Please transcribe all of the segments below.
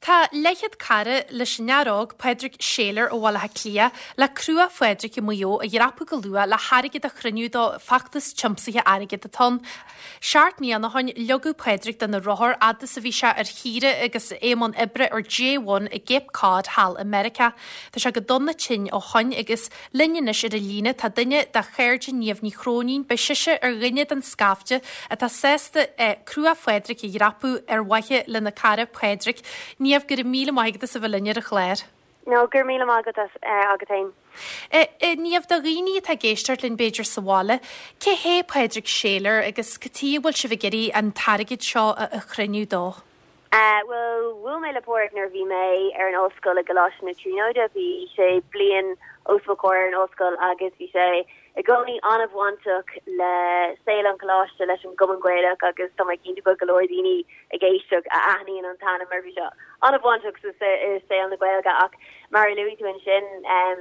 Tá leathchéad cara leis an fhear óg, Pádraig Shayler ó Bhaile Átha Cliath, le Cruach Phádraig i Maigh Eo a dhreapadh go luath le hairgead a chruinniú dó feachtas tiomsaithe airgid atá ann. Seacht mbliana ó shoin, leagadh Pádraig dena rothar fhad is a bhí sé ar shaoire agus é i mbun oibre ar J1 i gCape Cod thall i Meiriceá. Tá sé go dona tinn ó shoin agus Linn anois ar an líne tá duine dá chairde Niamh Ní Chróinín, beidh sise ar dhuine den scaifte atá sásta Cruach Phádraig a dhreapadh ar mhaithe lena cara Pádraig. Niamh, go raibh míle maith agat as a bheith linn ar an chlár. No, go raibh míle maith agat agat fhéin. Niamh, do dhaoine atá ag éisteacht linn b'fhéidir sa bhaile, cé hé Pádraig Shayler agus cad chuige a bhfuil sibh ag iarraidh an t-airgead seo a chruinniú dó? Bhuel, bhuail mé le Páraic nuair a bhí mé ar an ollscoil i gColáiste na Tríonóide. Bhí sé bliain os mo chomhair ar an ollscoil agus bhí sé i gcónaí an-bhainteach le saol an choláiste, leis an gCumann Gaelach agus tá mé cinnte go bhfuil go leor daoine ag éisteacht a aithníonn an t-ainm mar bhí sé an-bhainteach sa i saol na Gaeilge. Ach mar a luaigh tú ansin,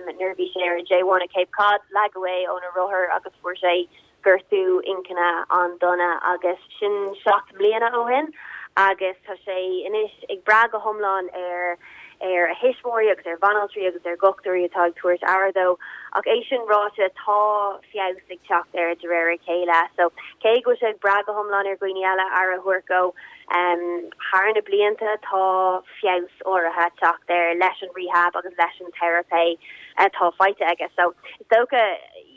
nuair a bhí sé ar J1 i Cape Cod, leagadh é óna rothar agus fuair sé gortú inchinne an-dona agus sin 7 mbliana ó shin agus tá sé anois ag brath go hiomlán ar ar a thuismitheoirí agus ar bhanaltraí agus ar dhochtúirí atá ag tabhairt aire dó. Ach é sin ráite tá feabhas ag teacht air de réir a chéile. So cé go bhfuil sé ag brath go hiomlán ar dhaoine eile aire a thabhairt dó, thar na blianta tá feabhas áirithe ag teacht air leis an rehab agus leis an teiripe atá faighte aige. So is dócha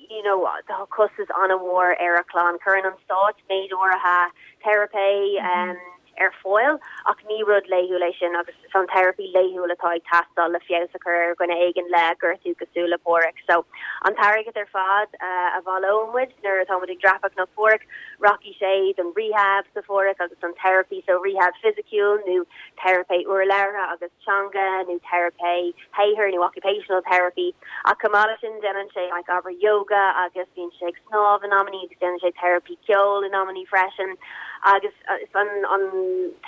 you know, tá costas an-mhór ar a chlann. Cuireann an stát méid áirithe teiripe ar fáil ach ní rud laethúil é sin agus is an teiripe laethúil atá ag teastáil le feabhas a chur ar dhuine éigin le gortú cosúil le Páraic. So an t-airgead ar fad a bhaileoidh muid nuair atá muid ag dreapadh Cnoc Phádraig, rachaidh sé don rehab sa Pháraic agus don teiripe, so rehab fisiciúil nó teiripe urlabhra agus teanga nó teiripe shaothair nó occupational therapy ach chomh maith leis sin déanann sé like ábhar yoga agus bíonn sé ag snámh in amannaí agus déanann sé teiripe ceoil in amannaí freisin agus is an an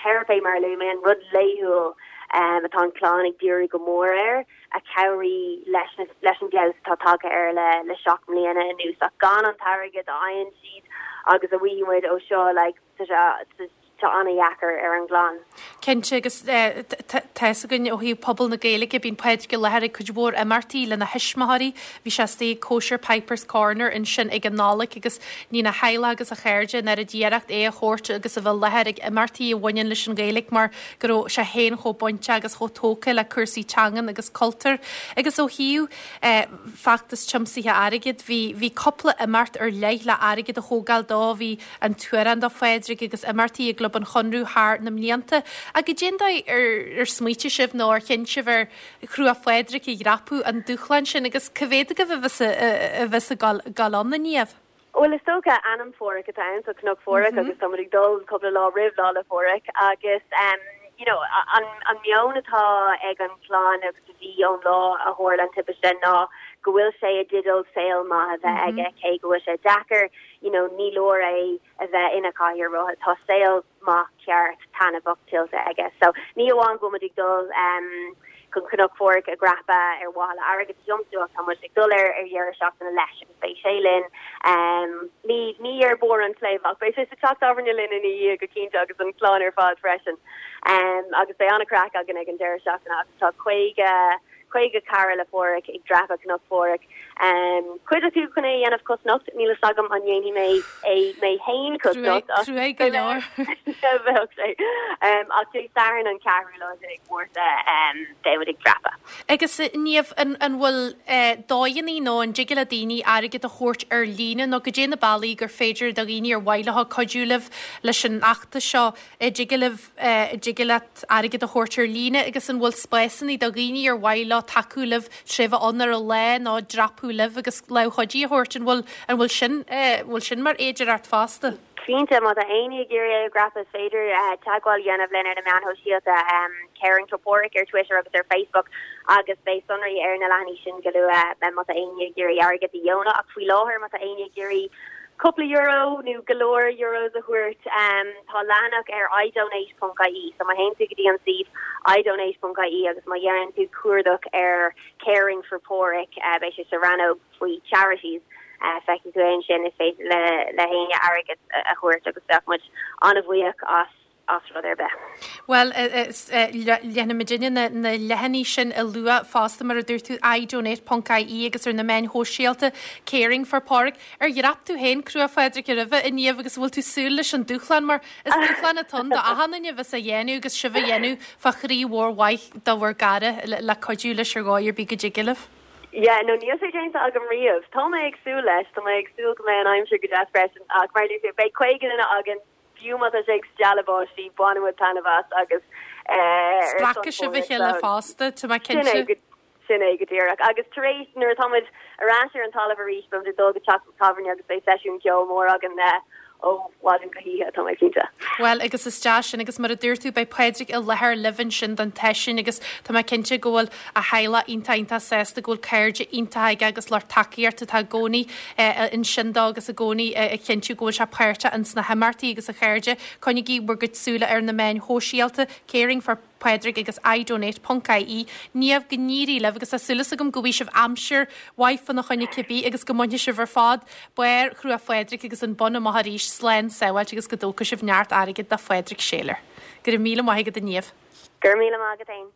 teiripe mar a luaigh mé an rud laethúil um, atá an clann ag díriú go mór air a chabhraigh leis na, leis an bhfeabhas atá tagtha air le le 7 mbliana anuas ach gan an t-airgead a fhaigheann siad agus a bhfaighidh muid ó seo like tá sé Tá an-dheacair ar an gclann. Cinnte, agus tá fhios againn ó thaobh pobal na Gaeilge, bíonn Pádraig i láthair ag cuid mhór imeachtaí lena thuismitheoirí. Bhí sé istigh ag cóisir Pipers Corner ansin ag an Nollaig agus níonn a theaghlach agus a chairde an oiread iarracht é a thabhairt agus a bheith i láthair ag imeachtaí a bhaineann leis an Ghaeilge mar go raibh sé féin chomh bainteach agus chomh tógtha le cúrsaí teangan agus cultúir. Agus ó thaobh feachtas tiomsaithe airgid, bhí bhí cúpla imeacht ar leith le airgead a thógáil dó, bhí an tAmhrán do Phádraig agus imeachtaí i gClub an Chonradh thar na mblianta. Ach goidé an dóigh ar smaoitigh sibh nó ar chinn sibh ar Chruach Phádraig a dhreapadh, an dúshlán sin, agus cá mhéad agaibh a bheas a bheas ag dul ann, a Niamh? Bhuel, is dócha ainm Pháraic atá ann, so Cnoc Phádraig, agus tá muid ag dul cúpla lá roimh Lá 'le Pádraig agus you know an an meon atá ag an chlann agus a bhí ón lá a tharla an timpiste ná go bhfuil sé i dteideal saol maith a bheith aige cé go bhfuil sé deacair you know ní leor é a bheith ina chathaoir rotha, tá saol maith ceart taitneamhach tuillte aige. So ní amháin go bhfuil muid ag dul um chun Cnoc Phádraig a dhreapadh ar mhaithe le airgead a thiomsú ach tá muid ag dul ar ar dheireadh seachtaine leis agus beidh sé linn um ní ní ar bharr an tsléibhe ach beidh sé sa teach tábhairne linn ina dhiaidh go cinnte agus an clann ar fad freisin. Um agus beidh an-chraic againn ag an deireadh seachtaine agus tá 50 50 cara le Páraic ag dreapadh Cnoc Phádraig. Cuid acu chun é a dhéanamh cosnocht, níl fhios agam an ndéanfaidh mé é mé fhéin cosnocht ach Cruaidh go leor. bheadh sé. Ach Dé Sathairn an ceathrú lá déag Márta beidh muid ag dreapadh. Agus Niamh, an bhfuil dóigheanna nó an dtig le daoine airgead a thabhairt ar líne nó goidé na bealaí gur féidir do dhaoine ar mhaith leo cuidiú libh leis an fheachtas seo, an dtig libh an dtig leat airgead a thabhairt ar líne agus an bhfuil spásanna do dhaoine ar mhaith leo tacú libh tré bheith ann ar an lá nó dreapadh libh agus lámh chuidí a thabhairt, an bhfuil, an bhfuil sin, bhfuil sin mar fhéidearthacht fosta? Cinnte, má tá éinne ag iarraidh é a dhreapadh is féidir teagmháil a dhéanamh linn ar na meáin shóisialta, Caring for Páraic ar Twitter agus ar Facebook agus beidh sonraí ar na leathanaigh sin go luath má tá éinne ag iarraidh airgead a dheonadh ach faoi láthair má tá éinne ag iarraidh cúpla euro nó go leor euros a thabhairt. Tá leathanach ar idonate ponc ie, so má théann tú go dtí an suíomh idonate ponc ie agus má dhéanann tú cuardach ar Caring for Páraic, beidh sé sa rannóg faoi Charities, feicfidh tú é ansin, is féidir le le héinne airgead a thabhairt agus bheadh muid an-bhuíoch as. as rud ar bith. Bhuel, déanfaidh muidinne na leathanaigh sin a lua fosta, mar a dúirt tú, idonate ponc ie agus ar na meáin shóisialta, Caring for Pádraig. Ar dhreap tú féin Cruach Phádraig roimhe, a Niamh, agus an bhfuil tú súil leis an dúshlán, mar is dúshlán atá ann do achan duine a bheas á dhéanamh agus sibh á dhéanamh fá chroí mhór mhaith do bhur gcara le cuidiú leis ar dhóigh ar bith go dtig libh. Yeah, no níl sé déanta agam riamh. Tá mé ag súil leis, tá mé ag súil go mbeidh an aimsir go deas freisin ach mar a luaigh tú, beidh 50 duine againn, fiú má tá sé ag stealladh báistí, bainfidh muid taitneamh as agus ar son Spreagfaidh sibh a chéile fosta, tá mé cinnte. Sin é go díreach. Agus tar éis, nuair atá muid ar ais ar an talamh arís, beidh muid ag dul go teach tábhairne agus beidh seisiún ceoil mór againn ó mhaidin go hoíche, tá mé cinnte. Bhuel, agus is deas sin, agus mar a dúirt tú, beidh Pádraig i láthair libh ansin don tseisiún agus tá mé cinnte go bhfuil a theaghlach iontach, iontach sásta go bhfuil cairde iontacha aige agus lucht tacaíochta atá i gcónaí ansin dó agus i gcónaí ag cinntiú go bhfuil sé páirteach ins na himeachtaí agus a chairde, coinnígí bhur gcuid súile ar na meáin shóisialta, Caring for. Pádraig agus idonate ponc ie Niamh, go n-éirí libh agus tá súil agam go bhfaighidh sibh aimsir mhaith fána choinne cibé agus go mbainfidh sibh ar fad barr Chruach Phádraig agus an bonn amach arís slán sábháilte agus go dtógfaidh sibh neart airgid do Phádraig Seylor. Go raibh míle maith agat a Niamh. Go raibh míle maith agat fhéin.